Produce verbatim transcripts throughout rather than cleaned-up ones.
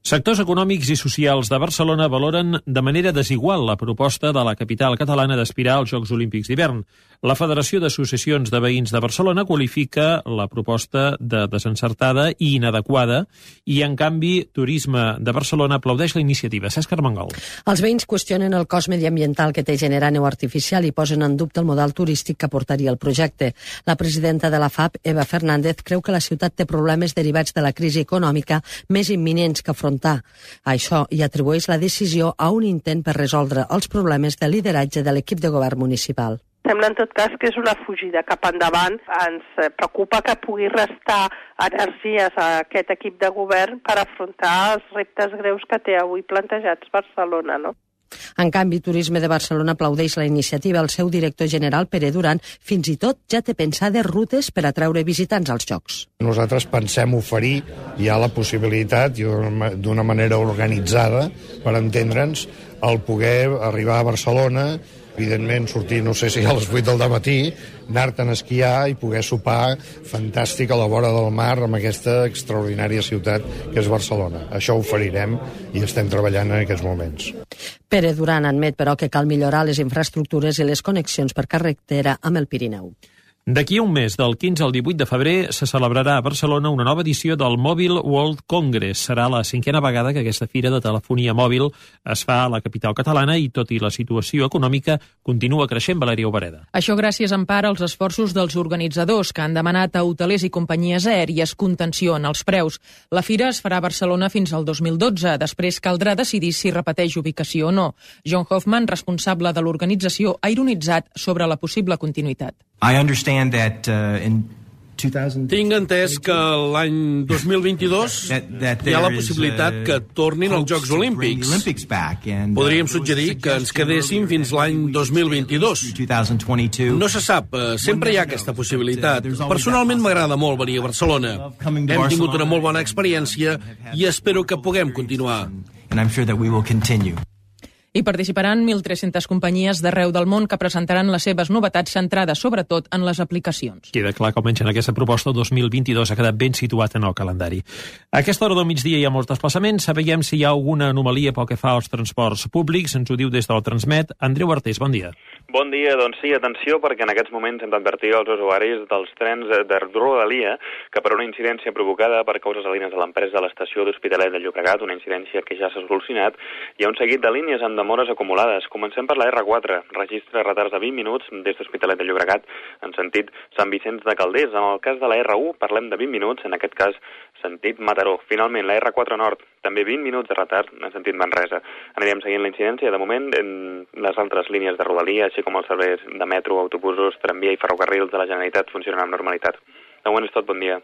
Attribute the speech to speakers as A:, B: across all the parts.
A: Sectors econòmics i socials de Barcelona valoren de manera desigual la proposta de la capital catalana d'aspirar als Jocs Olímpics d'hivern. La Federació d'Associacions de Veïns de Barcelona qualifica la proposta de desencertada i inadequada i, en canvi, Turisme de Barcelona aplaudeix la iniciativa. Cesc Armengol.
B: Els veïns qüestionen el cost mediambiental que té generar neu artificial i posen en dubte el model turístic que portaria el projecte. La presidenta de la F A P, Eva Fernández, creu que la ciutat té problemes derivats de la crisi econòmica més imminents que afrontar. A això hi atribueix la decisió a un intent per resoldre els problemes de lideratge de l'equip de govern municipal.
C: Sembla, en tot cas, que és una fugida cap endavant. Ens preocupa que pugui restar energies a aquest equip de govern per afrontar els reptes greus que té avui plantejats Barcelona, no?
B: En canvi, Turisme de Barcelona aplaudeix la iniciativa. El seu director general, Pere Duran, fins i tot ja té pensades rutes per atraure visitants als Jocs.
D: Nosaltres pensem oferir ja la possibilitat, d'una manera organitzada, per entendre'ns, el poder arribar a Barcelona, evidentment sortir, no sé si a les vuit del matí, anar-te'n a esquiar i poder sopar fantàstic a la vora del mar amb aquesta extraordinària ciutat que és Barcelona. Això ho oferirem i estem treballant en aquests moments.
B: Pere Duran admet, però, que cal millorar les infraestructures i les connexions per carretera amb el Pirineu.
A: D'aquí a un mes, del quinze al divuit de febrer, se celebrarà a Barcelona una nova edició del Mobile World Congress. Serà la cinquena vegada que aquesta fira de telefonia mòbil es fa a la capital catalana i, tot i la situació econòmica, continua creixent. Valèria Obereda.
E: Això gràcies en part als esforços dels organitzadors, que han demanat a hotelers i companyies aèries contenció en els preus. La fira es farà a Barcelona fins al dos mil dotze. Després caldrà decidir si repeteix ubicació o no. John Hoffman, responsable de l'organització, ha ironitzat sobre la possible continuïtat.
F: I understand that uh, in two thousand...
G: Tinc entès que l'any dos mil vint-i-dos hi ha la possibilitat que tornin els Jocs Olímpics. Podríem suggerir que ens quedéssim fins l'any dos mil vint-i-dos. No se sap, sempre hi ha aquesta possibilitat. Personalment m'agrada molt venir a Barcelona. Hem tingut una molt bona experiència i espero que puguem continuar.
F: And I'm sure that we will continue.
E: Hi participaran mil tres-centes companyies d'arreu del món que presentaran les seves novetats centrades sobretot en les aplicacions.
A: Queda clar que almenys en aquesta proposta el dos mil vint-i-dos ha quedat ben situat en el calendari. A aquesta hora del migdia hi ha molts desplaçaments. Sabem si hi ha alguna anomalia pel que fa als transports públics. Ens ho diu des del Transmet. Andreu Artés, bon dia.
H: Bon dia, doncs sí, atenció, perquè en aquests moments hem d'advertir als usuaris dels trens de Rodalia que per una incidència provocada per causes salines a l'empresa de l'estació d'Hospitalet de Llobregat, una incidència que ja s'ha solucionat, hi ha un seguit de línies amb demores acumulades. Comencem per la erre quatre, registra retards de vint minuts des d'Hospitalet de Llobregat en sentit Sant Vicenç de Calders. En el cas de la erre u parlem de vint minuts, en aquest cas sentit Mataró. Finalment, la erre quatre Nord, també vint minuts de retard en sentit Manresa. Anirem seguint la incidència. De moment, en les altres línies de Rodalia, així com els serveis de metro, autobusos, tramvia i ferrocarrils de la Generalitat funcionen amb normalitat. De moment és tot, bon dia.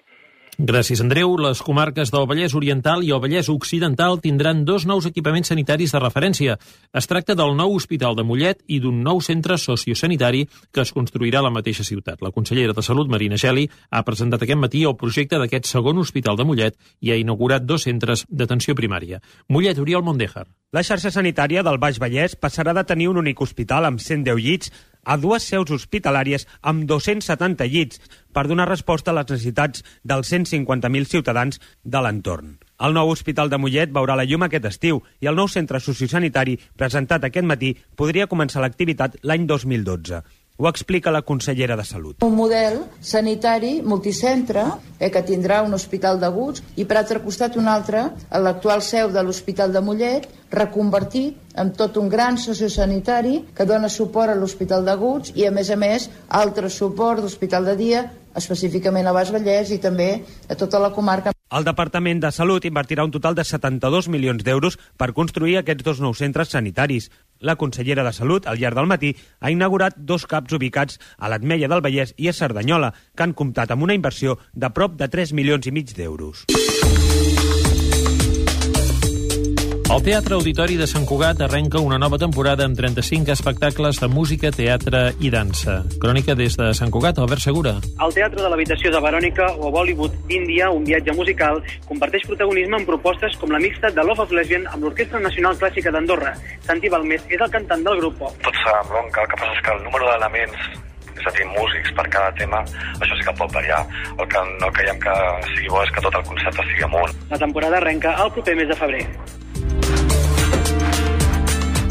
A: Gràcies, Andreu. Les comarques del Vallès Oriental i el Vallès Occidental tindran dos nous equipaments sanitaris de referència. Es tracta del nou Hospital de Mollet i d'un nou centre sociosanitari que es construirà a la mateixa ciutat. La consellera de Salut, Marina Geli, ha presentat aquest matí el projecte d'aquest segon Hospital de Mollet i ha inaugurat dos centres d'atenció primària. Mollet, Oriol Mondéjar.
I: La xarxa sanitària del Baix Vallès passarà de tenir un únic hospital amb cent deu llits a dues seus hospitalàries amb dos-cents setanta llits per donar resposta a les necessitats dels cent cinquanta mil ciutadans de l'entorn. El nou Hospital de Mollet veurà la llum aquest estiu i el nou centre sociosanitari presentat aquest matí podria començar l'activitat l'any dos mil dotze. Ho explica la consellera de Salut.
J: Un model sanitari multicentre eh, que tindrà un hospital d'aguts i per altre costat un altre a l'actual seu de l'Hospital de Mollet reconvertit en tot un gran sociosanitari que dona suport a l'Hospital d'Aguts i a més a més altre suport d'Hospital de Dia específicament a Baix Vallès i també a tota la comarca.
I: El Departament de Salut invertirà un total de setanta-dos milions d'euros per construir aquests dos nous centres sanitaris. La consellera de Salut, al llarg del matí, ha inaugurat dos caps ubicats a l'Ametlla del Vallès i a Cerdanyola, que han comptat amb una inversió de prop de tres milions i mig d'euros.
A: El Teatre Auditori de Sant Cugat arrenca una nova temporada amb trenta-cinc espectacles de música, teatre i dansa. Crònica des de Sant Cugat, Albert Segura.
K: El Teatre de l'Habitació de Verònica o Bollywood d'Índia, un viatge musical, comparteix protagonisme en propostes com la mixta de Love of Lesbian amb l'Orquestra Nacional Clàssica d'Andorra. Santi Balmés és el cantant del grup pop.
L: Tot s'embronca, el que passa és que el número d'elements és a dir, músics per cada tema, això sí que pot variar. El que no creiem que sigui bo és que tot el concepte sigui amunt.
K: La temporada arrenca el proper mes de febrer.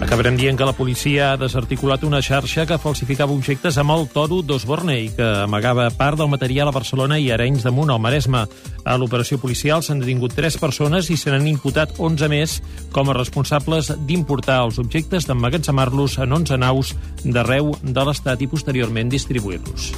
A: Acabarem dient que la policia ha desarticulat una xarxa que falsificava objectes amb el toro d'Osborne i que amagava part del material a Barcelona i Arenys de Munt, al Maresme. A l'operació policial s'han detingut tres persones i se n'han imputat onze més com a responsables d'importar els objectes, d'emmagatzemar-los en onze naus d'arreu de l'Estat i posteriorment distribuir-los.